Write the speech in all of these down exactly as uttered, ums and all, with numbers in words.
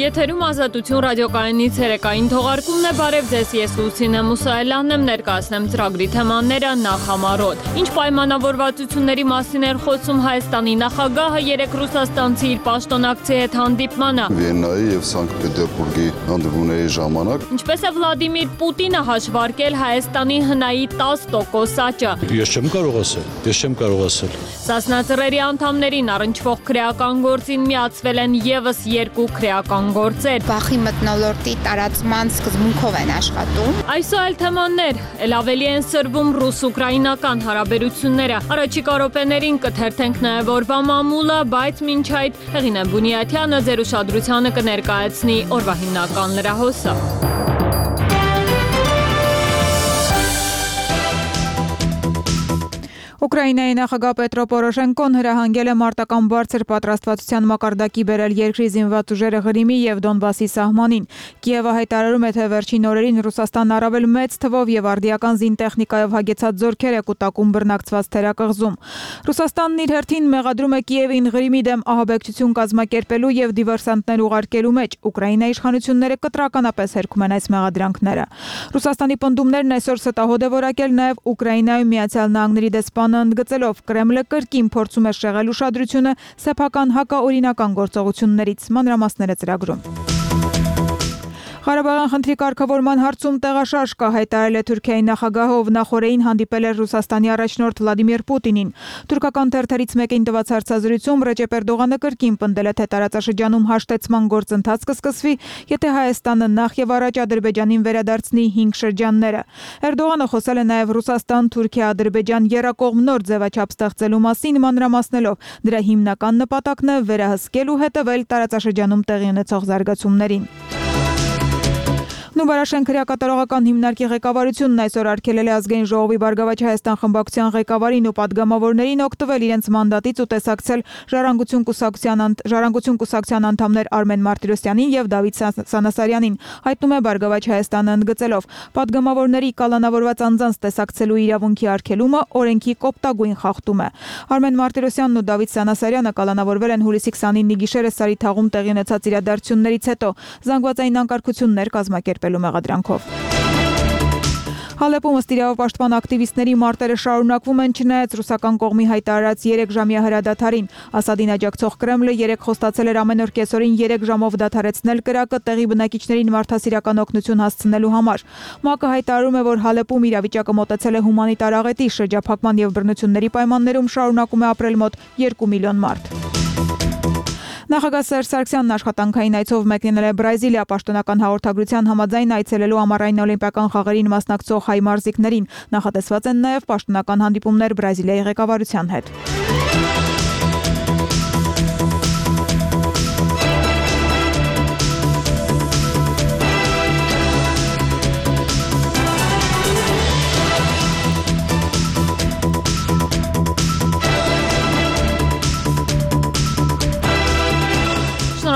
Եթերում Ազատություն ռադիոկայանից երեկային թողարկումն է, բարև ձեզ, ես Լուսինե Մուսայելյանն եմ, ներկայացնեմ ծրագրի թեմաները նախամարոտ։ Ինչ պայմանավորվածությունների մասին էր խոսում Հայաստանի նախագահը երեկ ռուսաստանցի իր պաշտոնակցի հետ հանդիպմանը։ Վիեննայի եւ Սանկտ Պետերբուրգի հանդիպումների ժամանակ Ինչպես է Վլադիմիր Պուտինը հաշվարկել Հայաստանի հնայի տասը տոկոս աճը։ Ես չեմ կարող ասել, ես չեմ կարող ասել։ Սասնա ծռերի անդամներին առնչվող քրեական գործին միացվել են եւս երկու քրեական գործեր։ Բախի մթնոլորտի տարածման սկզբունքով են աշխատում։ Այսօր այլ թեմաներ, ել ավելի են սրվում ռուս-ուկրաինական հարաբերությունները։ Առաջիկա րոպեներին կթերթենք նաև օրվա մամուլը, բայց մինչ այդ Հեղինե Բունյաթյանը ձեր ուշադրությանը կներկայացնի օրվա հիմնական լրահոսը։ Ուկրաինայի նախագահ Պետրո Պորոշենկոն հրահանգել է մարտական բարձր պատրաստվածության մակարդակի բերել երկրի զինված ուժերը Ղրիմի եւ Դոնբասի սահմանին։ Կիևը հայտարարում է, թե վերջին օրերին Ռուսաստանն առավել մեծ թվով եւ արդիական զինտեխնիկայով հագեցած զորքեր է կուտակում բռնակցված թերակղզում։ Ռուսաստանն իր հերթին մեղադրում է Կիևին Ղրիմի դեմ ահաբեկչություն կազմակերպելու եւ դիվերսանտներ ուղարկելու մեջ։ Ուկրաինայի իշխանությունները կտրականապես հերքում են այս մեղադրանքները։ Ռուսաստանի պնդումներն այսօր ստահոդ է որակել նաեւ Ուկրաինայում Միացյալ Նահանգների դեսպան ընդգծելով Կրեմլը կրկին փորձում է շեղել ուշադրությունը սեփական հակաօրինական գործողություններից, մանրամասները ծրագրում։ Ղարաբաղյան խնդրի կարգավորման հարցում տեղաշարժ կա, հայտարարել է Թուրքիայի նախագահը, ով նախորդին հանդիպել էր Ռուսաստանի առաջնորդ Վլադիմիր Պուտինին։ Թուրքական թերթերից մեկին տված հարցազրույցում Ռեջեփ Էրդողանը կրկին պնդել է, թե տարածաշրջանում հաշտեցման գործընթաց կսկսվի, եթե Հայաստանը նախ եւ առաջ Ադրբեջանին վերադարձնի հինգ շրջանները։ Էրդողանը խոսել է նաեւ Ռուսաստան-Թուրքիա-Ադրբեջան եռակողմ նոր ձևաչափ ստեղծելու մասին, մանրամասնելով դրա հիմնական նպատակն է վերահսկել ու հետևել տարածաշրջանում տեղի ունեցող զարգացումներին։ Նուբարաշեն քրեակատարողական հիմնարկի ղեկավարությունն այսօր արգելել է Ազգային ժողովի Բարգավաճ Հայաստան խմբակցության ղեկավարին ու պատգամավորներին օգտվել իրենց մանդատից ու տեսակցել Ժառանգություն կուսակցության Ժառանգություն կուսակցության անդամներ Արմեն Մարտիրոսյանին եւ Դավիթ Սանասարյանին, հայտնում է Բարգավաճ Հայաստանը ընդգծելով. Պատգամավորների կալանավորված անձանց տեսակցելու իրավունքի արգելումը օրենքի կոպտագույն խախտում է։ Արմեն Մարտիրոսյանն ու Դավիթ Սանասարյանը կալանավորվել են հուլիսի քսանինի գիշերը Սարիթաղում տեղի ունեցած իրադարձություններից հետո զանգվածային անկարգություններ կազմակերպել մեղադրանքով։ Հալեպում ըստ իրավապաշտպան ակտիվիստների մարտերը շարունակվում են չնայած ռուսական կողմի հայտարարած երեք ժամյա հրադադարին։ Ասադին աջակցող Կրեմլը երեկ խոստացել էր ամեն օր կեսօրին երեք ժամով դադարեցնել կրակը տեղի բնակիչներին մարդասիրական օգնություն հասցնելու համար։ ՄԱԿ-ը հայտարարում է, որ Հալեպում իրավիճակը մոտեցել է հումանիտար աղետի, շրջափակման եւ բռնությունների պայմաններում շարունակում է ապրել մոտ երկու միլիոն մարդ։ Նախագահ Սերժ Սարգսյանն աշխատանքային այցով մեկնել է Բրազիլիա, պաշտոնական հաղորդագրության համաձայն այցելելու ամառային օլիմպիական խաղերին մասնակցող հայ մարզիկներին։ Նախատեսված են նաև պաշտոնական հանդիպումներ Բրազիլիայի ղեկավարության հետ։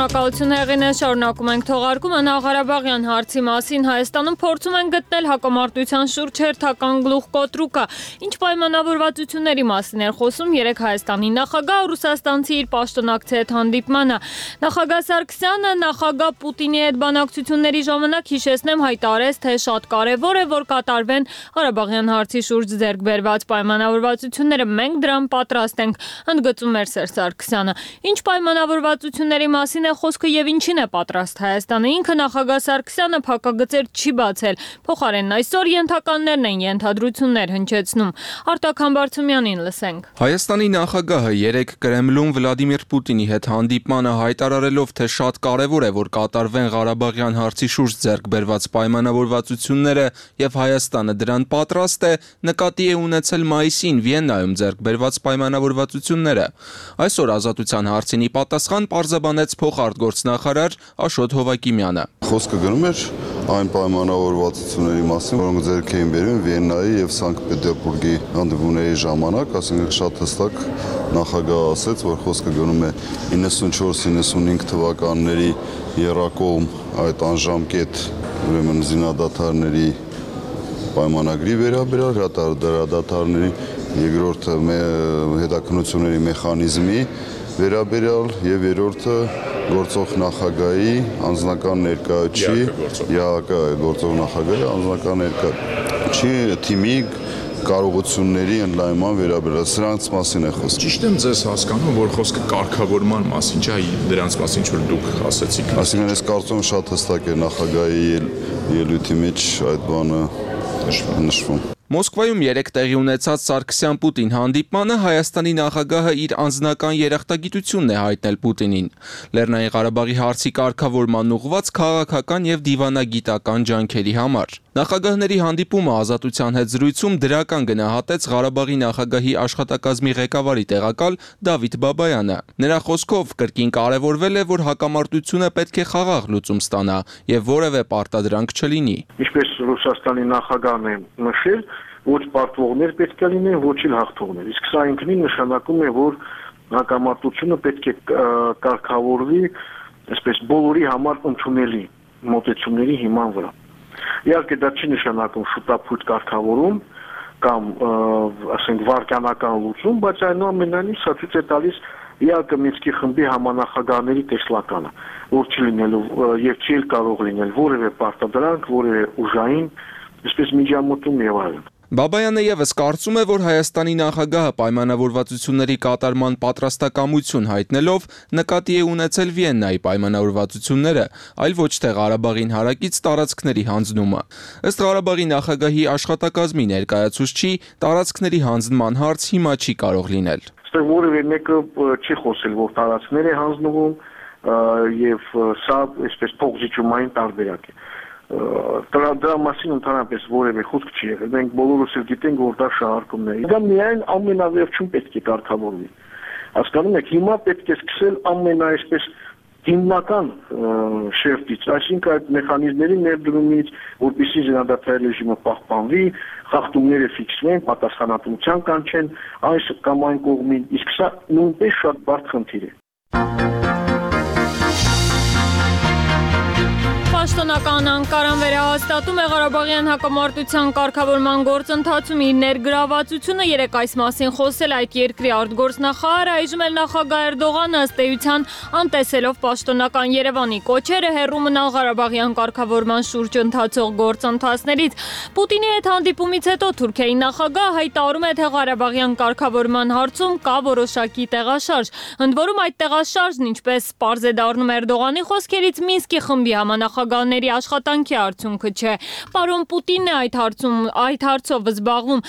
Շնորհակալություն Հեղինե, շարունակում ենք թողարկումը Ղարաբաղյան հարցի մասին։ Հայաստանում փորձում են գտնել հակամարտության շուրջ հերթական գլուխկոտրուկը։ Ինչ պայմանավորվածությունների մասին էր խոսում երեկ Հայաստանի նախագահը ռուսաստանցի իր պաշտոնակցի հետ հանդիպմանը։ Նախագահ Սարգսյանը նախագահ Պուտինի հետ բանակցությունների ժամանակ, հիշեցնեմ, հայտարարեց, թե շատ կարևոր է, որ կատարվեն Ղարաբաղյան հարցի շուրջ ձեռք բերված պայմանավորվածությունները։ Մենք դրան պատրաստ ենք, ընդգծում էր Սերժ Սարգսյանը։ Ինչ պայմանավորվածությունների մասին է խոսքը եւ ինչին է պատրաստ Հայաստանը։ Ինքը նախագահ Սարգսյանը փակագծեր չի բացել։ Փոխարենն այսօր ենթականներն են ենթադրություններ հնչեցնում։ Արտակ Համբարձումյանին լսենք։ Հայաստանի նախագահը երեկ Կրեմլում Վլադիմիր Պուտինի հետ հանդիպմանը հայտարարելով, թե շատ կարևոր է, որ կատարվեն Ղարաբաղյան հարցի շուրջ ձեռք բերված պայմանավորվածությունները եւ Հայաստանը դրան պատրաստ է, նկատի է ունեցել մայիսին Վիեննայում ձեռք բերված պայմանավորվածությունները։ Այսօր ազատության հարցինի պատասխան պարզաբանեց փոխարտգործնախարար Աշոտ Հովակիմյանը։ Խոսքը գնում էր այն պայմանավորվածությունների մասին, որոնք ձեռք էին բերվում Վիեննայի եւ Սանկտ Պետերբուրգի հանդիպումների ժամանակ, ասենք շատ հստակ նախագահը ասաց, որ խոսքը գնում է իննսունչորս իննսունհինգ թվականների եռակողմ այդ անժամկետ ուրեմն զինադադարների պայմանագրի վերաբերյալ, հրադադարների երկրորդը հետաքննությունների մեխանիզմի վերաբերյալ եւ երրորդը գործող նախագահի անձնական ներկայացուցիչ, ԵԱՀԿ գործող նախագահի անձնական ներկայացուցիչ թիմի կարողությունների ընդլայնման վերաբերյալ սրանց մասին է խոսքը։ Ճիշտ եմ ձեզ հասկանում, որ խոսքը կարգավորման մասին չէ, դրանց մասին որ դուք ասացիք։ Այսինքն ես կարծում եմ շատ հստակ է նախագահի ելույթի մեջ այդ բանը նշվում։ Մոսկվայում երեկ տեղի ունեցած Սարգսյան-Պուտին հանդիպմանը Հայաստանի նախագահը իր անձնական երախտագիտությունն է հայտնել Պուտինին։ Լեռնային Ղարաբաղի հարցի կարգավորման ուղղված քաղաքական եւ դիվանագիտական ջանքերի համար։ Նախագահների հանդիպումը Ազատության հետ զրույցում դրական գնահատեց Ղարաբաղի նախագահի աշխատակազմի ղեկավարի տեղակալ Դավիթ Բաբայանը։ Նրա խոսքով կրկին կարևորվել է, որ հակամարտությունը պետք է խաղաղ լուծում ստանա եւ որևէ պարտադրանք չլինի։ Ինչպես Ռուսաստանի նախագահն է նշել, ոչ պարտվողներ պետք է լինեն, ոչ էլ հաղթողներ։ Իսկ սա ինքնին նշանակում է, որ հակամարտությունը պետք է կարգավորվի, այսպես բոլորի համար ընդունելի մոտեցումների հիման վրա։ Իհարկե դա չի նշանակում շուտապույտ կարգավորում կամ ասենք վարկանական լուծում, բայց այնուամենայնիվ սա ցույց է տալիս իհարկե Մինսկի խմբի համանախագահների տեսլականը, որ չի լինելու եւ չի կարող լինել որևէ պարտադրանք, որևէ ուժային, այսպես միջամտում եւ այլն։ Բաբայանը եւս կարծում է, որ Հայաստանի նախագահը պայմանավորվածությունների կատարման պատրաստակամություն հայտնելով նկատի է ունեցել Վիեննայի պայմանավորվածությունները, այլ ոչ թե Ղարաբաղին հարակից տարածքների հանձնումը։ Ըստ Ղարաբաղի նախագահի աշխատակազմի ներկայացուցչի, տարածքների հանձնման հարց հիմա չի կարող լինել։ Այստեղ որևէ մեկը չի խոսել, որ տարածքներ է հանձնվում եւ սա այսպես փոխզիջումային տարբերակ է։ Դրա դրա մասին ընդհանրապես որևէ խոսք չի եղել։ Մենք բոլորս էլ գիտենք, որ դա շահարկումն է։ Դա միայն ամենավերջում պետք է կարգավորվի։ Հասկանում եք, հիմա պետք է սկսել ամենաայսպես հիմնական շերտից, այսինքն այդ մեխանիզմների ներդրումից, որպեսզի զինադադարի ռեժիմը պահպանվի, խախտումները ֆիքսվեն, պատասխանատվության կանչեն այս կամ այն կողմին, իսկ սա նույնպես շատ բարդ խնդիր է։ Պաշտոնական Անկարան վերահաստատում է Ղարաբաղյան հակամարտության կարգավորման գործընթացում իր ներգրավվածությունը, երեկ այս մասին խոսել այդ երկրի արտգործնախարարը, այժմ էլ նախագահ Էրդողանը ըստ էության անտեսելով պաշտոնական Երևանի կոչերը հեռու մնալ Ղարաբաղյան կարգավորման շուրջ ընթացող գործընթացներից։ Պուտինի հետ հանդիպումից հետո Թուրքիայի նախագահը հայտարարում է, թե Ղարաբաղյան կարգավորման հարցում կա որոշակի տեղաշարժ։ Ընդ որում այդ տեղաշարժն, ինչպես պարզ է դառնում Էրդողանի խոսքերից, Մինսկի խմբի համանախագահների աշխատանքի արդյունքը չէ։ Պարոն Պուտինն է այդ հարցում այդ հարցով զբաղվում։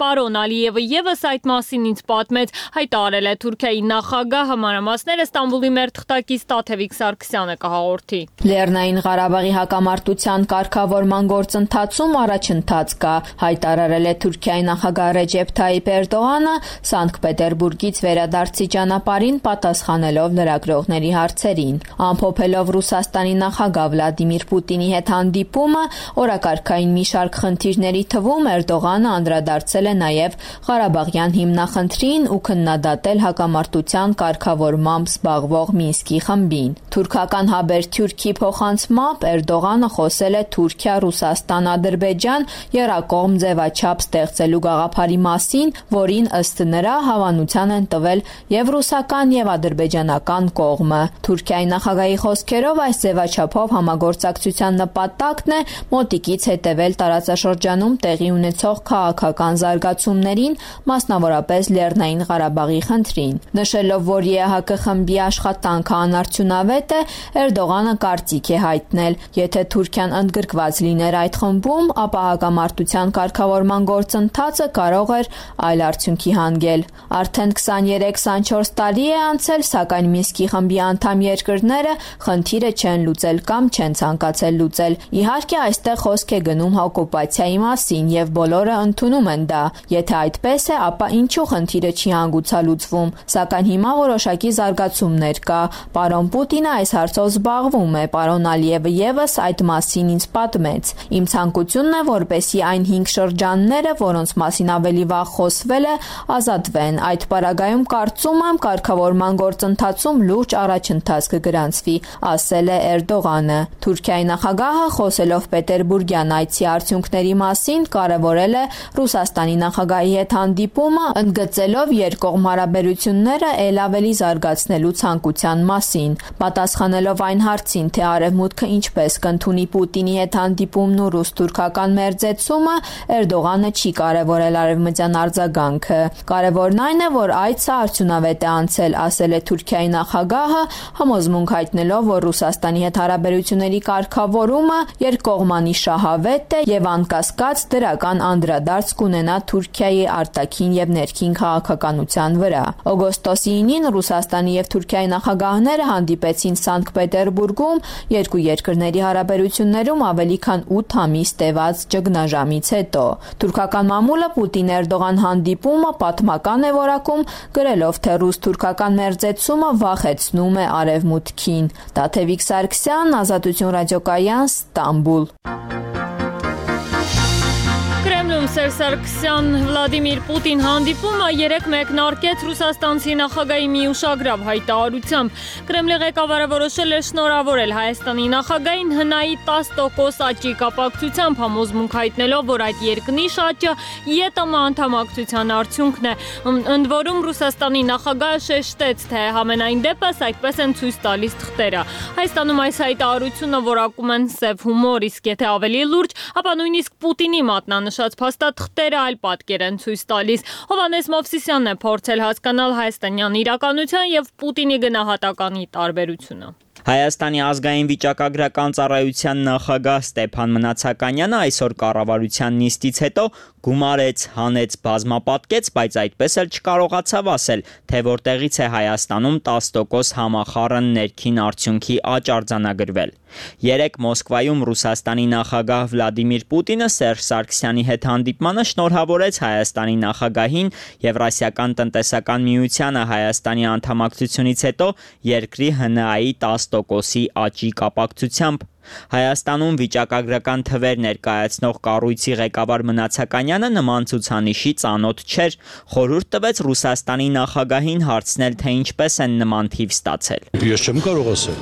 Պարոն Ալիևը եւս այդ մասին ինձ պատմեց, հայտարարել է Թուրքիայի նախագահը, մանրամասները Ստամբուլի մեր թղթակից Տաթևիկ Սարգսյանը կհաղորդի։ Լեռնային Ղարաբաղի հակամարտության կարգավորման գործընթացում առաջընթաց կա, հայտարարել է Թուրքիայի նախագահ Ռեջեփ Թայիփ Էրդողանը Սանկտ Պետերբուրգից վերադարձի ճանապարհին պատասխանելով լրագրողների հարցերին։ Ամփոփելով Ռուսաստանի նախագահ Վլադիմիր Պուտինի հետ հանդիպումը, օրակարգային մի շարք խնդիրների թվում Էրդողանը անդրադարձել է նաև Ղարաբաղյան հիմնախնդրին ու քննադատել հակամարտության կարգավորմամբ զբաղվող Մինսկի խմբին։ Թուրքական Հաբերթյուրքի փոխանցմամբ Էրդողանը խոսել է Թուրքիա, Ռուսաստան, Ադրբեջան եռակողմ ձևաչափ ստեղծելու գաղափարի մասին, որին ըստ նրա հավանության են տվել եւ ռուսական եւ ադրբեջանական կողմը։ Թուրքիայի նախագահի խոսքերով այս ձևաչափով համագործակցության նպատակն է մոտիկից հետևել տարածաշրջանում տեղի ունեցող քաղաքական զարգացումներին, մասնավորապես Լեռնային Ղարաբաղի խնդրին։ Նշելով, որ ԵԱՀԿ խմբի աշխատանքը անարդյունավետ է, Էրդողանը կարծիք է հայտնել, եթե Թուրքիան ընդգրկված լիներ այդ խմբում, ապա հակամարտության կարգավորման գործընթացը կարող էր այլ արդյունքի հանգել։ Արդեն քսաներեք քսանչորս տարի է անցել, սակայն Մինսկի խմբի անդամ երկրները խնդիրը չեն լուծել կամ չեն ցանկացել լուծել։ Իհարկե, այստեղ խոսք է գնում օկուպացիայի մասին եւ բոլորը ընդունում են դա։ Եթե այդպես է, ապա ինչու խնդիրը չի հանգուցալուծվում։ Սակայն հիմա որոշակի զարգացումներ կա։ Պարոն Պուտինը այս հարցով զբաղվում է, պարոն Ալիևը եւս այդ մասին ինձ պատմեց։ Իմ ցանկությունն է, որպեսզի այն հինգ շրջանները, որոնց մասին ավելի վաղ խոսվել է, ազատվեն։ Այդ պարագայում կարծում եմ, կարգավորման գործընթացում լուրջ առաջընթաց կգրանցվի, ասել է Էրդողանը։ Թուրքիա Թուրքիայի նախագահը խոսելով Պետերբուրգյան այցի արդյունքների մասին կարևորել է Ռուսաստանի նախագահի հետ հանդիպումը, ընդգծելով երկկողմ հարաբերությունները ել ավելի զարգացնելու ցանկության մասին։ Պատասխանելով այն հարցին, թե Արևմուտքը ինչպես կընդունի Պուտինի հետ հանդիպումն ու ռուս-թուրքական մերձեցումը, Էրդողանը չի կարևորել արևմտյան արձագանքը։ Կարևորն այն է, որ այցը արդյունավետ է անցել, ասել է Թուրքիայի նախագահը, համոզմունք հայտնելով, որ Ռուսաստանի հետ հարաբերությունների կարգավորումը երկկողմանի շահավետ է եւ անկասկած դրական անդրադարձ կունենա Թուրքիայի արտաքին եւ ներքին քաղաքականության վրա։ Օգոստոսի ինին Ռուսաստանի եւ Թուրքիայի նախագահները հանդիպեցին Սանկտ Պետերբուրգում, երկու երկրների հարաբերություններում ավելի քան ութ ամիս տևած ճգնաժամից հետո։ Թուրքական մամուլը Պուտին-Էրդողան հանդիպումը պատմական է որակում, գրելով, թե ռուս-թուրքական մերձեցումը վախեցնում է Արևմուտքին։ Տաթևիկ Սարգսյան, Ազատություն ռադիոկայան, Ստամբուլ։ Կրեմլում Սերժ Սարգսյան Վլադիմիր Պուտին հանդիպումը երեկ մեկնարկեց ռուսաստանցի նախագահի մի ուշագրավ հայտարարությամբ։ Կրեմլի ղեկավարը որոշել է շնորհավորել Հայաստանի նախագահին հնայի տասը տոկոս աճի կապակցությամբ, համոզմունք հայտնելով, որ այդ երկնիշ աճը ԵՏՄ անդամակցության արդյունքն է։ Ընդ որում Ռուսաստանի նախագահը շեշտեց, թե համենայն դեպս այդպես են ցույց տալիս թղթերը։ Հայաստանում այս հայտարարությունը որակում են սև հումոր, իսկ եթե ավելի լուրջ, ապա նույնիսկ Պուտինի մատնանշած փաստաթղթերը այլ պատկեր են ցույց տալիս։ Հովհաննես Մովսիսյանն է փորձել հասկանալ հայաստանյան իրականության եւ Պուտինի գնահատականի տարբերությունը։ Հայաստանի ազգային վիճակագրական ծառայության նախագահ Ստեփան Մնացականյանը այսօր կառավարության նիստից հետո գումարեց, հանեց, բազմապատկեց, բայց այդպես էլ չկարողացավ ասել, թե որտեղից է Հայաստանում տասը տոկոս համախառն ներքին արդյունքի աճ արձանագրվել։ Երեկ Մոսկվայում Ռուսաստանի նախագահ Վլադիմիր Պուտինը Սերժ Սարգսյանի հետ հանդիպմանը շնորհավորեց Հայաստանի նախագահին Եվրասիական տնտեսական միությանը Հայաստանի անդամակցությունից հետո երկրի ՀՆԱ-ի տասը տոկոսի աճի կապակցությամբ։ Հայաստանում վիճակագրական թվեր ներկայացնող կառույցի ղեկավար Մնացականյանը նման ցուցանիշի ծանոթ չէր, խորհուրդ տվեց Ռուսաստանի նախագահին հարցնել, թե ինչպես են նման թիվ ստացել։ Ես չեմ կարող ասել։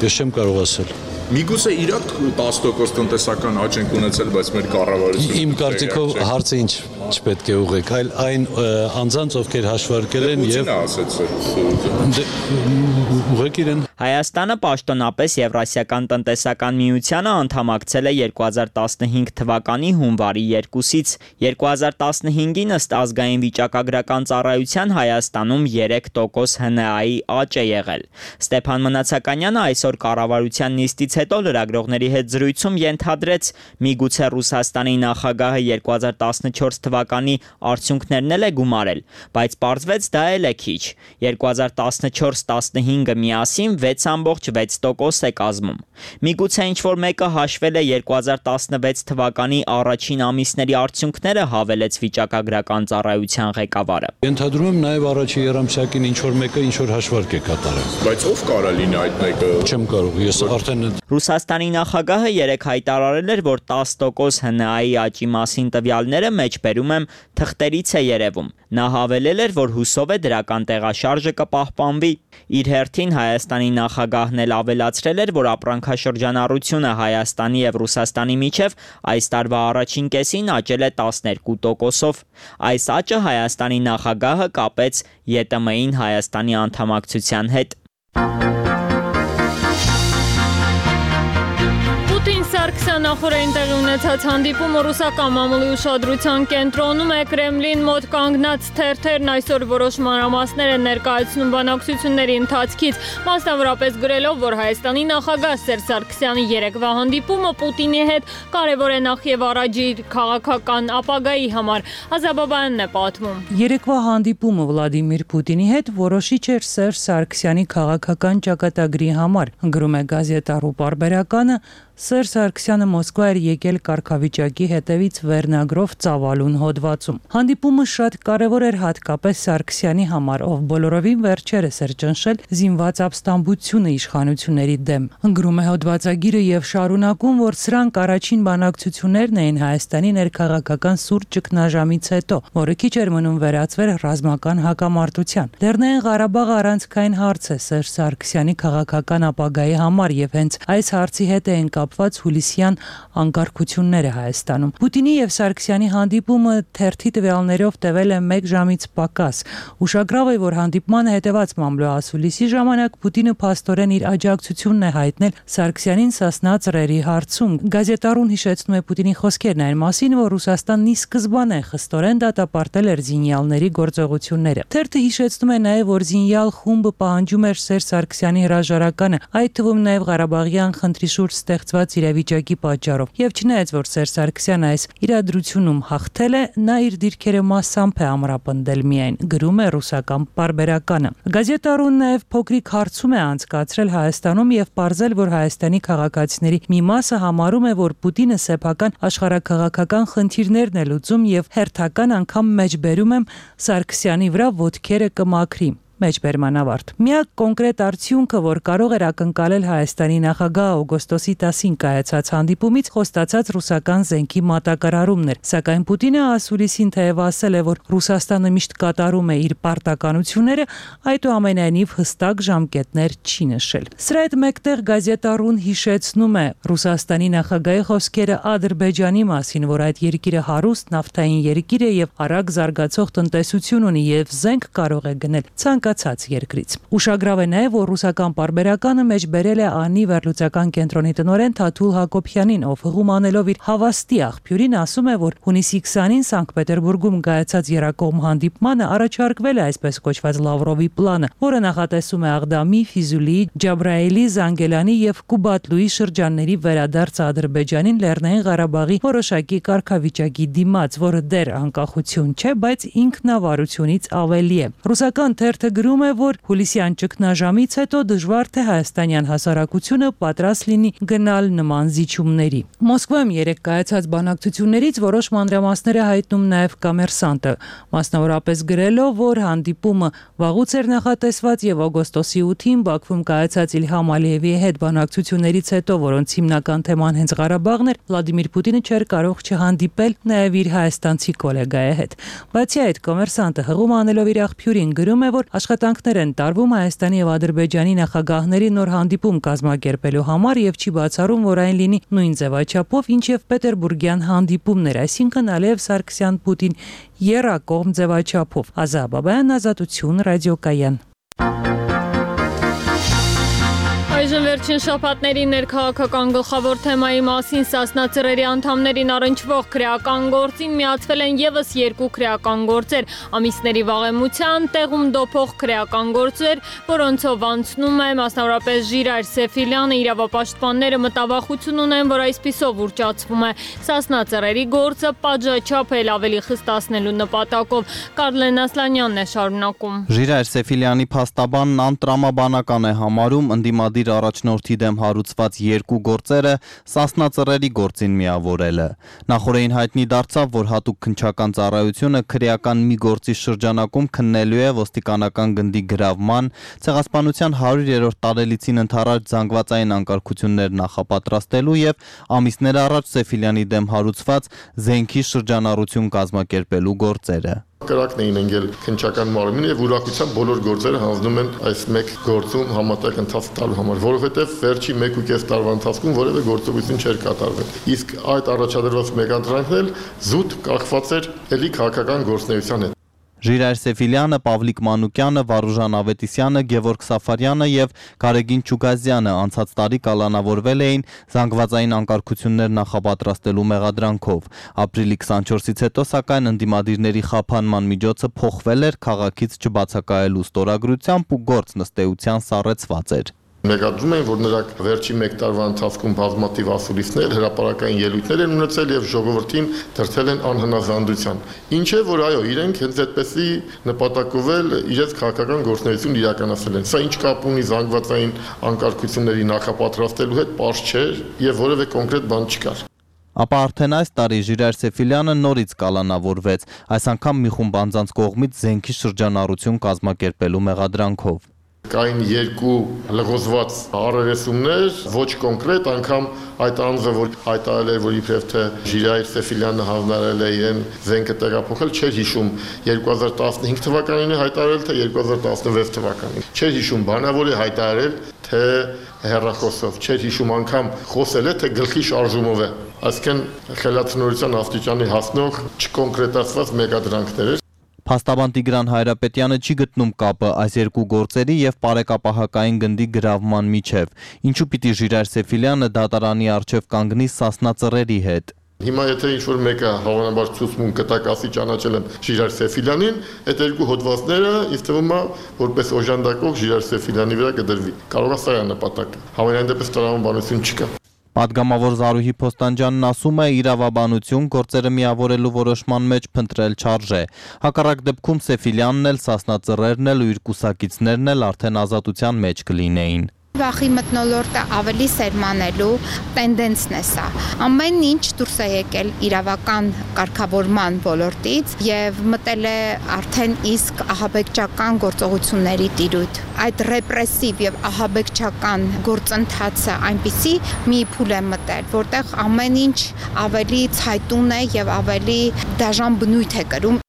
Ես չեմ կարող ասել։ Միգուցե իրոք տասը տոկոս տնտեսական աճ ենք ունեցել, բայց մեր կառավարությունը Իմ կարծիքով հարցը ինչ չպետք է ուղղեք, այլ այն անձանց, ովքեր հաշվարկել են եւ ուղղեք իրեն։ Հայաստանը պաշտոնապես Եվրասիական տնտեսական միությանը անդամակցել է երկու հազար տասնհինգ թվականի հունվարի երկուսից։ երկու հազար տասնհինգին ըստ ազգային վիճակագրական ծառայության Հայաստանում երեք տոկոս ՀՆԱ-ի աճ է եղել։ Ստեփան Մնացականյանը այսօր կառավարության նիստից հետո լրագրողների հետ զրույցում ենթադրեց, միգուցե Ռուսաստանի նախագահը երկու հազար տասնչորս թվականի արդյունքներն էլ է գումարել, բայց պարզվեց դա էլ է քիչ։ երկու հազար տասնչորս տասնհինգը միասին վեց ամբողջ վեց տոկոս է կազմում։ Միգուցե ինչ-որ մեկը հաշվել է երկու հազար տասնվեց թվականի առաջին ամիսների արդյունքները, հավելեց վիճակագրական ծառայության ղեկավարը։ Ենթադրում եմ նաև առաջի երամսյակին ինչ-որ մեկը ինչ-որ հաշվարկ է կատարել։ Բայց ով կարա լինի այդ մեկը։ Չեմ կարող, ես արդեն Ռուսաստանի նախագահը երեկ հայտարարել էր, որ տասը տոկոս ՀՆԱ-ի աճի մասին տվյալները մեջբերում եմ թղթերից է երևում։ Նա հավելել էր, որ հուսով է դրական տեղաշարժը կպահպանվի։ Իր հերթին Հայաստանի նախագահն էլ ավելացրել էր, որ ապրանքաշրջանառությունը Հայաստանի եւ Ռուսաստանի միջև այս տարվա առաջին կեսին աճել է տասներկու տոկոսով։ Այս աճը Հայաստանի նախագահը կապեց ԵՏՄ-ին Հայաստանի անդամակցության հետ։ Սարգսյան նախորդին տեղի ունեցած հանդիպումը ռուսական մամուլի ուշադրության կենտրոնում է։ Կրեմլին մոտ կանգնած թերթերն այսօր որոշ մանրամասներ են ներկայացնում բանակցությունների ընթացքից, մասնավորապես գրելով, որ Հայաստանի նախագահ Սերժ Սարգսյանի երեկվա հանդիպումը Պուտինի հետ կարևոր է նախ եւ առաջ իր քաղաքական ապագայի համար։ Ազաբաբայանն է պատմում։ Երեկվա հանդիպումը Վլադիմիր Պուտինի հետ որոշիչ էր Սերժ Սարգսյանի քաղաքական ճակատագրի համար, գրում է գազետա Ռու պարբերականը։ Սերժ Սարգսյանը Մոսկվա էր եկել կարգավիճակի հետևից վերնագրով ծավալուն հոդվածում։ Հանդիպումը շատ կարևոր էր հատկապես Սարգսյանի համար, ով բոլորովին վերջերս էր ճնշել զինված ապստամբությունը իշխանությունների դեմ։ Գրում է հոդվածագիրը եւ շարունակում, որ սրանք առաջին բանակցություններն էին Հայաստանի ներքաղաքական սուր ճգնաժամից հետո, որը քիչ էր մնում վերածվեր ռազմական հակամարտության։ Լեռնային Ղարաբաղը առանցքային հարց է Սերժ Սարգսյանի քաղաքական ապագայի համար եւ հենց այս հարցի հետ են կապված հուլիսյան անկարգությունները Հայաստանում։ Պուտինի եւ Սարգսյանի հանդիպումը թերթի տվյալներով տևել է մեկ ժամից պակաս։ Ուշագրավ է, որ հանդիպմանը հետևած մամլոասուլիսի ժամանակ Պուտինը փաստորեն իր աջակցությունն է հայտնել Սարգսյանին Սասնա ծռերի հարցում։ Գազետարուն հիշեցնում է Պուտինի խոսքերն այն մասին, որ Ռուսաստանն ի սկզբանե խստորեն դատապարտել էր զինյալների գործողությունները։ Թերթը հիշեցնում է նաեւ, որ զինյալ խումբը պահանջում էր Սերժ Սարգսյանի հրաժարականը, այդ թվում նաեւ Ղարաբաղյան խնդրի շուրջ ստեղծված իրավիճակի պատճառով։ Եվ չնայած որ Սերժ Սարգսյանը այս իրադրությունում հաղթել է, նա իր դիրքերը մասամբ է ամրապնդել միայն, գրում է ռուսական պարբերականը։ Գազետարուն նաեւ փոքրիկ հարցում է անցկացրել Հայաստանում եւ պարզել, որ Հայաստանի քաղաքացիների մի մասը համարում է, որ Պուտինը սեփական աշխարհաքաղաքական խնդիրներն է լուծում եւ հերթական անգամ մեջբերում եմ Սարգսյանի վրա ոտքերը կմաքրի։ Մեջբերման ավարտ։ Միակ կոնկրետ արդյունքը, որ կարող էր ակնկալել Հայաստանի նախագահ օգոստոսի տասին կայացած հանդիպումից, խոստացած ռուսական զենքի մատակարարումն էր, սակայն Պուտինը ասուլիսին թեև ասել է, որ Ռուսաստանը միշտ կատարում է իր պարտականությունները, այդուամենայնիվ հստակ ժամկետներ չի նշել։ Սրա հետ մեկտեղ գազետարուն հիշեցնում է Ռուսաստանի նախագահի խոսքերը Ադրբեջանի մասին, որ այդ երկիրը հարուստ նավթային երկիր է եւ արագ զարգացող տնտեսություն ունի եւ զենք կարող է գնել ցանկացած երկրից։ Ուշագրավ է նաեւ, որ ռուսական պարբերականը մեջբերել է ԱՆԻ վերլուծական կենտրոնի տնօրեն Թաթուլ Հակոբյանին, ով հղում անելով իր հավաստի աղբյուրին ասում է, որ հունիսի քսանին Սանկտ Պետերբուրգում կայացած երակողմ հանդիպմանը առաջարկվել է այսպես կոչված Լավրովի պլանը, որը նախատեսում է Աղդամի, Ֆիզուլիի, Ջաբրայելի, Զանգելանի եւ Կուբատլուի շրջանների վերադարձը Ադրբեջանին Լեռնային Ղարաբաղի որոշակի կարգավիճակի դիմաց, որը դեռ անկախություն չէ, բայց ինքնավարությունից ավելի է։ Ռուսական թերթը գրում է, որ հուլիսյան ճգնաժամից հետո դժվար թե հայաստանյան հասարակությունը պատրաստ լինի գնալ նման զիջումների։ Մոսկվայում երեք կայացած բանակցություններից որոշ մանրամասներ է հայտնում նաև Կոմերսանտը, մասնավորապես գրելով, որ հանդիպումը վաղուց էր նախատեսված եւ օգոստոսի ութին Բաքվում կայացած Իլհամ Ալիևի հետ բանակցություններից հետո, որոնց հիմնական թեման հենց Ղարաբաղն էր, Վլադիմիր Պուտինը չէր կարող չհանդիպել նաև իր հայաստանցի գոլեգայի հետ։ Բացի այդ, Կոմերսանտը հղում անելով իր աղբյուրին գրում է, որ աշխատանքներ են տարվում Հայաստանի եւ Ադրբեջանի նախագահների նոր հանդիպում կազմակերպելու համար եւ չի բացառում, որ այն լինի նույն ձևաչափով, ինչ եւ Պետերբուրգյան հանդիպումներ, այսինքն Ալիև Սարգսյան-Պուտին եռակողմ ձևաչափով։ Ազա Բաբայան, Ազատություն, ռադիոկայան։ Այժմ վերջին շաբաթների ներքաղաքական գլխավոր թեմայի մասին Սասնա ծռերի անդամներին առնչվող քրեական գործին միացվել են եւս երկու քրեական գործեր, ամիսների վաղեմության տեղում դոփող քրեական գործեր, որոնցով անցնում է մասնավորապես Ժիրայր Սեֆիլյանը, իրավապաշտպանները մտավախություն ունեն, որ այսպիսով ուռճացվում է Սասնա ծռերի գործը պատժաչափ էլ ավելի խստացնելու նպատակով։ Կարլեն Ասլանյանն է շարունակում։ Ժիրայր Սեֆիլյանի փաստաբանն անտրամաբանական է համարում ընդդիմադիր առաջնորդի դեմ հարուցված երկու գործերը Սասնա ծռերի գործին միավորելը։ Նախորդին հայտնի դարձավ, որ հատուկ քննչական ծառայությունը քրեական մի գործի շրջանակում քննելու է ոստիկանական գնդի գրավման, ցեղասպանության հարյուրերորդ տարելիցին ընթരാճ զանգվածային անկարգություններ նախապատրաստելու եւ ամիսներ առաջ Սեֆիլյանի դեմ հարուցված զենքի շրջանառություն կազմակերպելու գործերը։ Կրակն էին ընկել քննչական մարմինը եւ ուրախությամբ բոլոր գործերը հանձնում են այս մեկ գործում համատեղ ընթացք տալու համար, որովհետեւ վերջի մեկ ու կես տարվա ընթացքում որևէ գործողություն չէր կատարվել։ Իսկ այդ առաջադրված մեգանտրանքն էլ զուտ կախված էր ելի քաղաքական գործունեության հետ։ Ժիրայր Սեֆիլյանը, Պավլիկ Մանուկյանը, Վարուժան Ավետիսյանը, Գևորգ Սաֆարյանը եւ Գարեգին Չուգազյանը անցած տարի կալանավորվել էին զանգվածային անկարգություններ նախապատրաստելու մեղադրանքով։ Ապրիլի քսանչորսից հետո սակայն ընդդիմադիրների խափանման միջոցը փոխվել էր քաղաքից չբացակայելու ստորագրությամբ ու գործ նստեության սառեցված էր։ Մեկադրում են, որ նրանք վերջին մեկ տարվա ընթացքում բազմաթիվ ասուլիսներ, հրապարակային ելույթներ են ունեցել եւ ժողովրդին դրդել են անհնազանդության։ Ինչ է, որ այո, իրենք հենց այդպեսի նպատակով էլ իրենց քաղաքական գործունեություն իրականացրել են։ Սա ինչ կապ ունի զանգվածային անկարգությունների նախապատրաստելու հետ, պարզ չէ եւ որևէ կոնկրետ բան չկար։ Ապա արդեն այս տարի Ժիրայր Սեֆիլյանը նորից կալանավորվեց, այս անգամ մի խումբ անձանց կողմից զենքի շրջանառություն կազմակերպելու մեղադրանքով։ Կային երկու լղոզված առերեսումներ, ոչ կոնկրետ, անգամ այդ անձը, որ հայտարարել էր, որ իբրև թե Ժիրայր Սեֆիլյանը հանձնարարել է իրեն զենքը տեղափոխել, չէր հիշում երկու հազար տասնհինգ թվականին է հայտարարել, թե երկու հազար տասնվեց թվականին։ Չէր հիշում բանավոր է հայտարարել, թե հեռախոսով, չէր հիշում անգամ խոսել է, թե գլխի շարժումով է։ Այսինքն խելացնորության աստիճանի հասնող չկոնկրետացված մեկադրանքներ էր։ Փաստաբան Տիգրան Հայրապետյանը չի գտնում կապը այս երկու գործերի եւ պարեկապահակային գնդի գրավման միջև։ Ինչու պիտի Ժիրայր Սեֆիլյանը դատարանի առջև կանգնի Սասնա Ծռերի հետ։ Հիմա եթե ինչ-որ մեկը հավանաբար ցուցմուն կտակասի ճանաչել եմ Ժիրայր Սեֆիլյանին, այդ երկու հոդվածները ինձ թվում է որպես օժանդակող Ժիրայր Սեֆիլյանի վրա կդրվի։ Կարող է սա է նպատակը։ Համենայն դեպս տրամաբանություն չկա։ Պատգամավոր Զարուհի Փոստանջյանն ասում է, իրավաբանություն գործերը միավորելու որոշման մեջ փնտրել չարժե։ Հակառակ դեպքում Սեֆիլյանն էլ, Սասնա Ծռերն էլ ու իր կուսակիցներն էլ արդեն ազատության մեջ կլինեին։ Վախի մթնոլորտը ավելի սերմանելու տենդենսն է սա։ Ամեն ինչ դուրս է եկել իրավական կարգավորման ոլորտից եւ մտել է արդեն իսկ ահաբեկչական գործողությունների տիրույթ։ Այդ ռեպրեսիվ եւ ահաբեկչական գործընթացը այնպիսի մի փուլ է մտել, որտեղ ամեն ինչ ավելի ցայտուն է եւ ավելի դաժան բնույթ է կրում։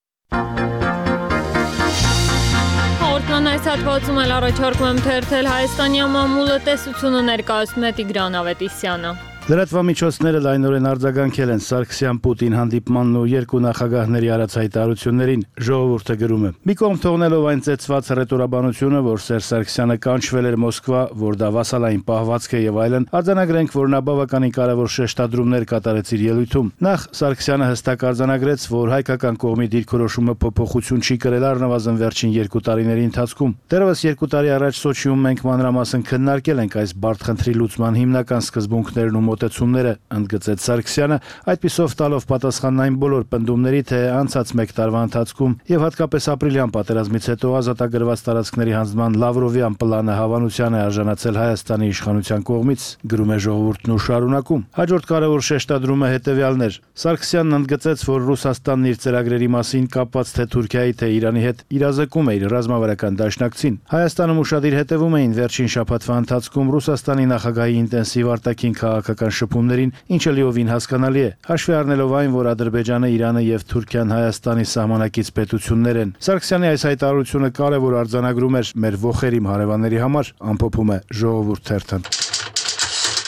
Այս հատվածում էլ առաջարկում եմ թերթել Հայաստանի մամուլը տեսությունը ներկայացնում է Տիգրան Ավետիսյանը։ Լրատվամիջոցները լայնորեն արձագանքել են Սարգսյան-Պուտին հանդիպմանն ու երկու նախագահների արած հայտարարություններին, ժողովուրդը գրում է։ Մի կողմ թողնելով այն ծեծված ռետորաբանությունը, որ Սերժ Սարգսյանը կանչվել էր Մոսկվա, որ դա վասալային պահվածք է եւ այլն, արձանագրենք, որ նա բավականին կարևոր շեշտադրումներ կատարեց իր ելույթում։ Նախ Սարգսյանը հստակ արձանագրեց, որ հայկական կողմի դիրքորոշումը փոփոխություն չի կրել առնվազն վերջին երկու տարիների ընթացքում։ Դեռևս երկու տարի առաջ Սոչիում մենք մանրամասն քննարկել ենք այս բարդ խնդրի լուծման հիմնական սկզբունքներն ու մոտեցումները, ընդգծեց Սարգսյանը, այդպիսով տալով պատասխանն այն բոլոր պնդումների, թե անցած մեկ տարվա ընթացքում եւ հատկապես ապրիլյան պատերազմից հետո ազատագրված տարածքների հանձնման Լավրովյան պլանը հավանության է արժանացել Հայաստանի իշխանության կողմից, գրում է ժողովուրդն ու շարունակում։ Հաջորդ կարևոր շեշտադրումը հետեւյալն էր։ Սարգսյանն ընդգծեց, որ Ռուսաստանն իր ծրագրերի մասին կապված թե Թուրքիայի, թե Իրանի հետ իրազեկում է իր ռազմավարական դաշնակցին։ Հայաստանում ուշադիր հետևում էին վերջին շաբաթվա ընթացքում Ռուսաստանի նախագահի ինտենսիվ արտաքին քաղաքական շփումներին, ինչը լիովին հասկանալի է, հաշվի առնելով այն, որ Ադրբեջանը, Իրանը եւ Թուրքիան Հայաստանի սահմանակից պետություններ են։ Սարգսյանի այս հայտարարությունը կարևոր արձանագրում էր մեր ոխերիմ հարևանների համար, ամփոփում է Ժողովուրդ թերթը։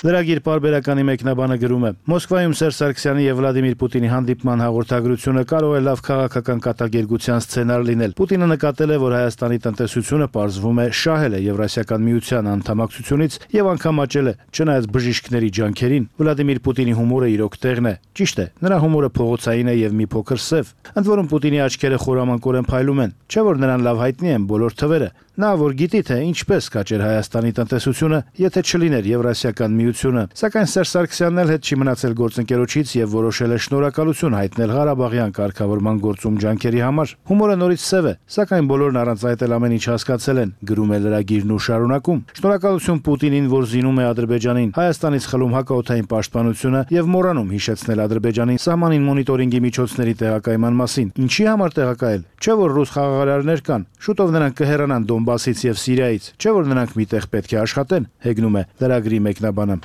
Լրագիր պարբերականի մեկնաբանը գրում է. Մոսկվայում Սերժ Սարգսյանի եւ Վլադիմիր Պուտինի հանդիպման հաղորդագրությունը կարող է լավ քաղաքական կատակերգության սցենար լինել։ Պուտինը նկատել է, որ Հայաստանի տնտեսությունը պարզվում է շահել է Եվրասիական միության անդամակցությունից եւ անգամ աճել է, չնայած բժիշկների ջանքերին։ Վլադիմիր Պուտինի հումորը իրոք տեղն է։ Ճիշտ է, նրա հումորը փողոցային է եւ մի փոքր սև։ Ընդ որում Պուտինի աչքերը խորամանկորեն փայլում են, չէ՞ որ նրան լավ հայտնի են բոլոր թվերը։ Նա որ գիտի, թե ինչպես կաճեր Հայաստանի տնտեսությունը, եթե չլիներ Եվրասիական միությունը, սակայն Սերժ Սարգսյանն էլ հետ չի մնացել գործընկերոջից եւ որոշել է շնորհակալություն հայտնել Ղարաբաղյան կարգավորման գործում ջանքերի համար։ Հումորը նորից սև է, սակայն բոլորն առանց այդ էլ ամեն ինչ հասկացել են, գրում է լրագիրն ու շարունակում։ Շնորհակալություն Պուտինին, որ զինում է Ադրբեջանին, Հայաստանից խլում հակաօդային պաշտպանությունը եւ մոռանում հիշեցնել Ադրբեջանին սահմանին մոնիտորինգի միջոցների տեղակայման մասին։ Ինչի համար տեղակայել։ Չէ՞ որ ռուս խաղաղարարներ կան, շուտով նրանք կհեռանան Դոնբասից եւ Սիրիայից, չէ՞ որ նրանք միտեղ պետք է աշխատեն, հեգնում է լրագրի մեկնաբանը։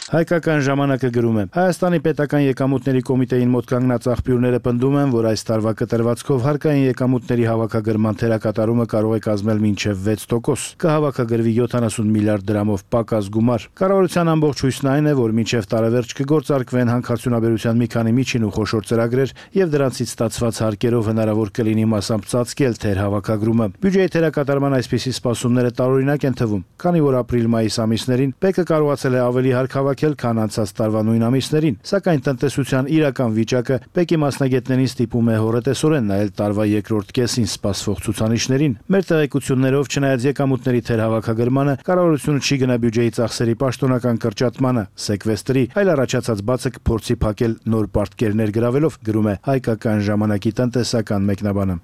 Հայկական ժամանակը գրում է. Հայաստանի պետական եկամուտների կոմիտեին մոտ կանգնած աղբյուրները պնդում են, որ այս տարվա կտրվածքով հարկային եկամուտների հավաքագրման թերակատարումը կարող է կազմել մինչև վեց տոկոս։ Կհավաքագրվի յոթանասուն միլիարդ դրամով պակաս գումար։ Կառավարության ամբողջ հույսն այն է, որ մինչև տարեվերջ կգործարկվեն հանքարդյունաբերության մի քանի միջին ու խոշոր ծրագրեր եւ դրանցից ստացված հարկերով հնարավոր կլինի մասամբ ծածկել թերհավաքագրումը։ Բյուջեի թերակատարման այսպիսի սպասումները տարօրինակ են թվում, քանի որ ապրիլ-մայիս ամիսներին ՊԵԿ-ը կարողացել է ավելի հարկ հավաքել, քան անցած տարվա նույն ամիսներին, սակայն տնտեսության իրական վիճակը Պեկի մասնագետներին ստիպում է հորետեսորեն նայել տարվա երկրորդ կեսին սպասվող ցուցանիշներին։ Մեր տեղեկություններով, չնայած եկամուտների թերհավաքագրմանը, կառավարությունը չի գնա բյուջեի ծախսերի պաշտոնական կրճատմանը, սեկվեստրի, այլ առաջացած բացը կփորձի փակել նոր պարտքերներ գրավելով, գրում է Հայկական ժամանակի տնտեսական մեկնաբանը։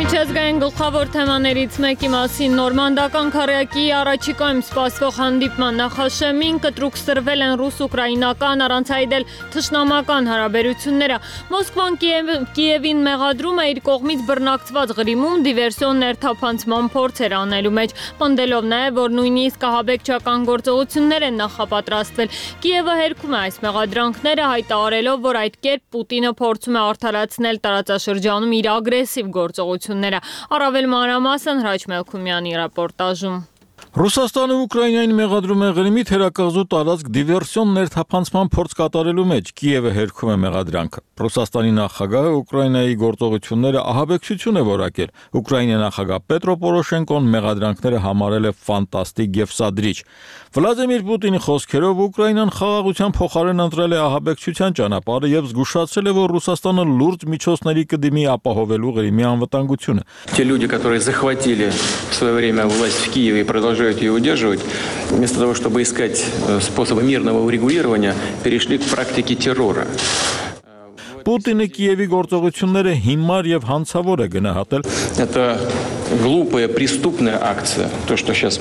Միջազգային գլխավոր թեմաներից մեկի մասին նորմանդական քառյակի առաջիկայում սպասվող հանդիպման նախաշեմին կտրուկ սրվել են ռուս-ուկրաինական առանց այդել թշնամական հարաբերությունները։ Մոսկվան Կիևին մեղադրում է իր կողմից բռնակցված Ղրիմում դիվերսիոն ներթափանցման փորձեր անելու մեջ, պնդելով նաև, որ նույնիսկ ահաբեկչական գործողություններ են նախապատրաստվել։ Կիևը հերքում է այս մեղադրանքները, հայտարարելով, որ այդ կերպ Պուտինը փորձում է արդարացնել տարածաշրջանում իր ագրեսիվ գործողությունները։ Առավել մանրամասն Հրաչ Մելքումյանի ռեպորտաժում։ Ռուսաստանը Ուկրաինային մեղադրում է Ղրիմի թերակղզու տարածք դիվերսիոն ներթափանցման փորձ կատարելու մեջ, Կիևը հերքում է մեղադրանքը։ Ռուսաստանի նախագահը Ուկրաինայի գործողությունները ահաբեկչություն է որակել։ Ուկրաինայի նախագահ Պետրո Պորոշենկոն մեղադրանքները համարել է ֆանտաստիկ եւ սադրիչ։ Վլադիմիր Պուտինի խոսքերով Ուկրաինան խաղաղության փոխարեն ընտրել է ահաբեկչության ճանապարհը եւ զգուշացրել է, որ Ռուսաստանը լուրջ միջոցների կդիմի ապահովելու Ղրիմի անվտանգությունը։ Те люди, которые захватили в свое время власть в Киеве и продолжают ее удерживать, вместо того, чтобы искать способы мирного урегулирования, перешли к практике террора. Պուտինը Կիևի գործողությունները հիմար եւ հանցավոր է գնահատել։ Это глупая преступная акция, то, что сейчас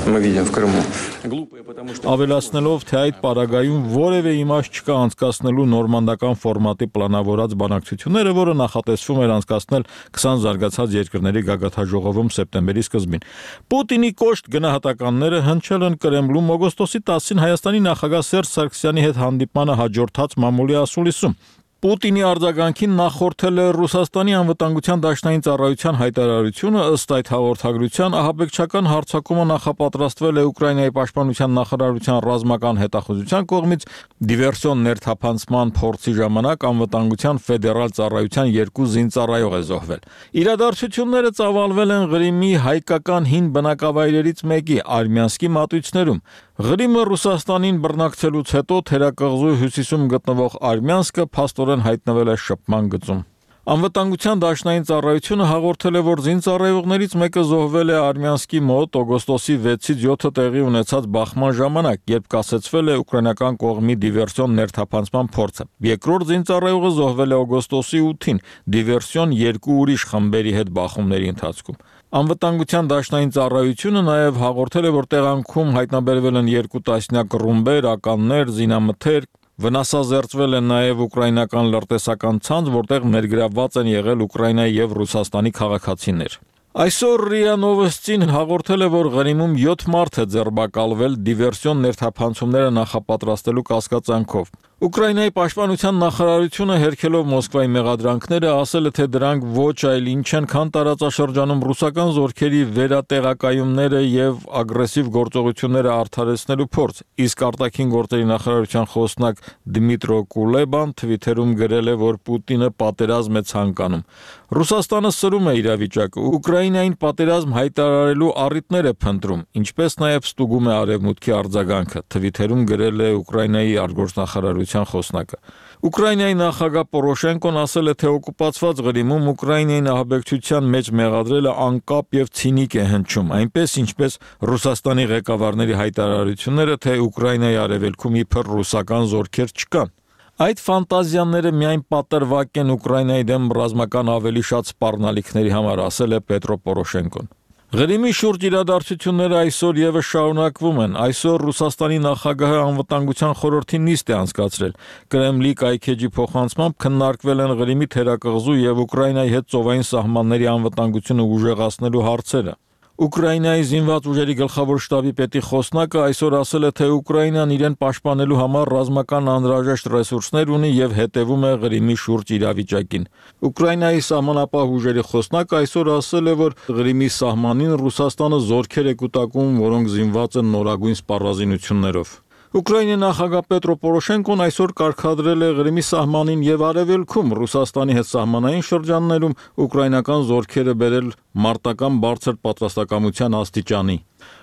мы видим в Крыму. Глупая, потому что Ավելացնելով, թե այդ պարագայում որևէ իմաստ չկա անցկացնելու նորմանդական ֆորմատի պլանավորած բանակցությունները, որը նախատեսվում էր անցկացնել քսան զարգացած երկրների գագաթաժողովում սեպտեմբերի սկզբին։ Պուտինի կոշտ գնահատականները հնչել են Կրեմլում օգոստոսի տասին Հայաստանի նախագահ Սերժ Սարգսյանի հետ հանդիպմանը հաջորդած մամուլի ասուլիսում։ Պուտինի արձագանքին նախորդել է Ռուսաստանի անվտանգության դաշնային ծառայության հայտարարությունը, ըստ այդ հաղորդագրության ահաբեկչական հարձակումը նախապատրաստվել է Ուկրաինայի պաշտպանության նախարարության ռազմական հետախուզության կողմից դիվերսիոն ներթափանցման փորձի ժամանակ անվտանգության ֆեդերալ ծառայության երկու զինծառայող է զոհվել։ Իրադարձությունները ծավալվել են Ղրիմի հայկական հին բնակավայրերից մեկի Արմյանսկի մատույցներում։ Ղրիմը Ռուսաստանին բռնակցելուց հետո թերակղզու հյուսիսում գտնվող Արմյանսկը փաստորեն հայտնվել է շփման գծում։ Անվտանգության դաշնային ծառայությունը հաղորդել է, որ զինծառայողներից մեկը զոհվել է Արմյանսկի մոտ օգոստոսի վեցից յոթը տեղի ունեցած բախման ժամանակ, երբ կասեցվել է ուկրաինական կողմի դիվերսիոն ներթափանցման փորձը։ Երկրորդ զինծառայողը զոհվել է օգոստոսի ութին դիվերսիոն երկու ուրիշ խմբերի հետ բախումների ընթացքում։ Անվտանգության դաշնային ծառայությունը նաև հաղորդել է, որ տեղանքում հայտնաբերվել են երկու տասնյակ ռումբեր, ականներ, զինամթերք, վնասազերծվել են նաև ուկրաինական լրտեսական ցանց, որտեղ ներգրավված են եղել Ուկրաինայի եւ Ռուսաստանի քաղաքացիներ։ Այսօր ՌԻԱ Նովոստին հաղորդել է, որ Ղրիմում յոթ մարդ է ձերբակալվել դիվերսիոն ներթափանցումները նախապատրաստելու կասկածանքով։ Ուկրաինայի պաշտպանության նախարարությունը հերքելով Մոսկվայի մեղադրանքները ասել է, թե դրանք ոչ այլ ինչ են, քան տարածաշրջանում ռուսական զորքերի վերատեղակայումները եւ ագրեսիվ գործողությունները արդարացնելու փորձ։ Իսկ արտաքին գործերի նախարարության խոսնակ Դմիտրո Կուլեբան Թվիթերում գրել է, որ Պուտինը պատերազմ է ցանկանում։ Ռուսաստանը սրում է իրավիճակը, Ուկրաինային պատերազմ հայտարարելու առիթներ է փնտրում, ինչպես նաև ստուգում է արևմուտքի արձագանքը, Թվիթերում գրել է Ուկրաինայի արտգործնախարարության խոսնակը։ Ուկրաինայի նախագահ Պորոշենկոն ասել է, թե օկուպացված Ղրիմում Ուկրաինային ահաբեկչության մեջ մեղադրելը անկապ եւ ցինիկ է հնչում, այնպես ինչպես Ռուսաստանի ղեկավարների հայտարարությունները, թե Ուկրաինայի արևելքում իբր ռուսական զորքեր չկան։ Այդ ֆանտազիաները միայն պատրվակ են Ուկրաինայի դեմ ռազմական ավելի շատ սպառնալիքների համար, ասել է Պետրո Պորոշենկոն։ Ղրիմի շուրջ իրադարձությունները այսօր եւս շարունակվում են։ Այսօր Ռուսաստանի նախագահը անվտանգության խորհրդի նիստ է անցկացրել։ Կրեմլի կայքեջի փոխանցմամբ քննարկվել են Ղրիմի թերակղզու եւ Ուկրաինայի հետ ծովային սահմանների անվտանգությունը ուժեղացնելու հարցերը։ Ուկրաինայի զինված ուժերի գլխավոր շտաբի պետի խոսնակը այսօր ասել է, թե Ուկրաինան իրեն պաշտպանելու համար ռազմական անհրաժեշտ ռեսուրսներ ունի եւ հետևում է Ղրիմի շուրջ իրավիճակին։ Ուկրաինայի սահմանապահ ուժերի խոսնակը այսօր ասել է, որ Ղրիմի սահմանին Ռուսաստանը զորքեր է կուտակում, որոնք զինված են նորագույն սպառազինություններով։ Ուկրաինի նախագահ Պետրո Պորոշենկոն այսօր կարգադրել է Ղրիմի սահմանին եւ արևելքում Ռուսաստանի հետ սահմանային շրջաններում ուկրաինական զորքերը բերել մարտական բարձր պատրաստակամության աստիճանի։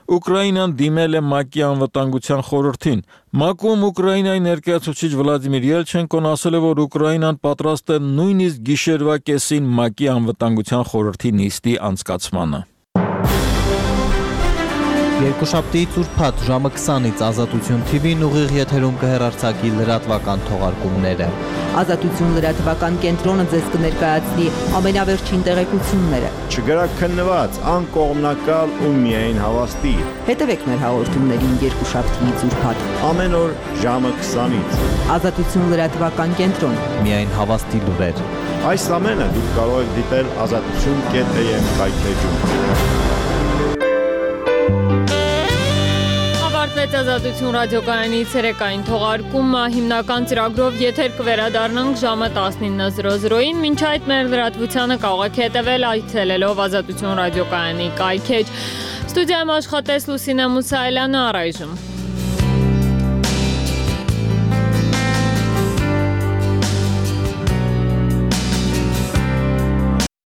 Ուկրաինան դիմել է ՄԱԿ-ի անվտանգության խորհրդին։ ՄԱԿ-ում Ուկրաինայի ներկայացուցիչ Վլադիմիր Ելչենկոն ասել է, որ Ուկրաինան պատրաստ է նույնիսկ գիշերվա կեսին ՄԱԿ-ի անվտանգության խորհրդի նիստի անցկացմանը։ Երկուշաբթի ծուրփաթ ժամը քսանից Ազատություն թի վին ուղիղ եթերում կհեռարձակի լրատվական թողարկումները։ Ազատություն լրատվական կենտրոնը ձեզ կներկայացնի ամենավերջին տեղեկությունները։ Չգրաքննված, անկողմնակալ ու միայն հավաստի։ Հետևեք մեր հաղորդումներին երկուշաբթի ծուրփաթ ամեն օր ժամը քսանից։ Ազատություն լրատվական կենտրոն։ Միայն հավաստի լուրեր։ Այս ամենը դուք կարող եք դիտել ազատություն կետ էյ էմ կայքեջում։ Ազատություն ռադիոկայանի ցերեկային թողարկումը հիմնական ծրագրով եթեր կվերադառնանք ժամը տասնինը զրո զրոին, մինչ այդ մեր լրատվությանը կարող եք հետևել այցելելով Ազատություն ռադիոկայանի կայքեջ։ Ստուդիայում աշխատեց Լուսինե Մուսայելյանը, առայժմ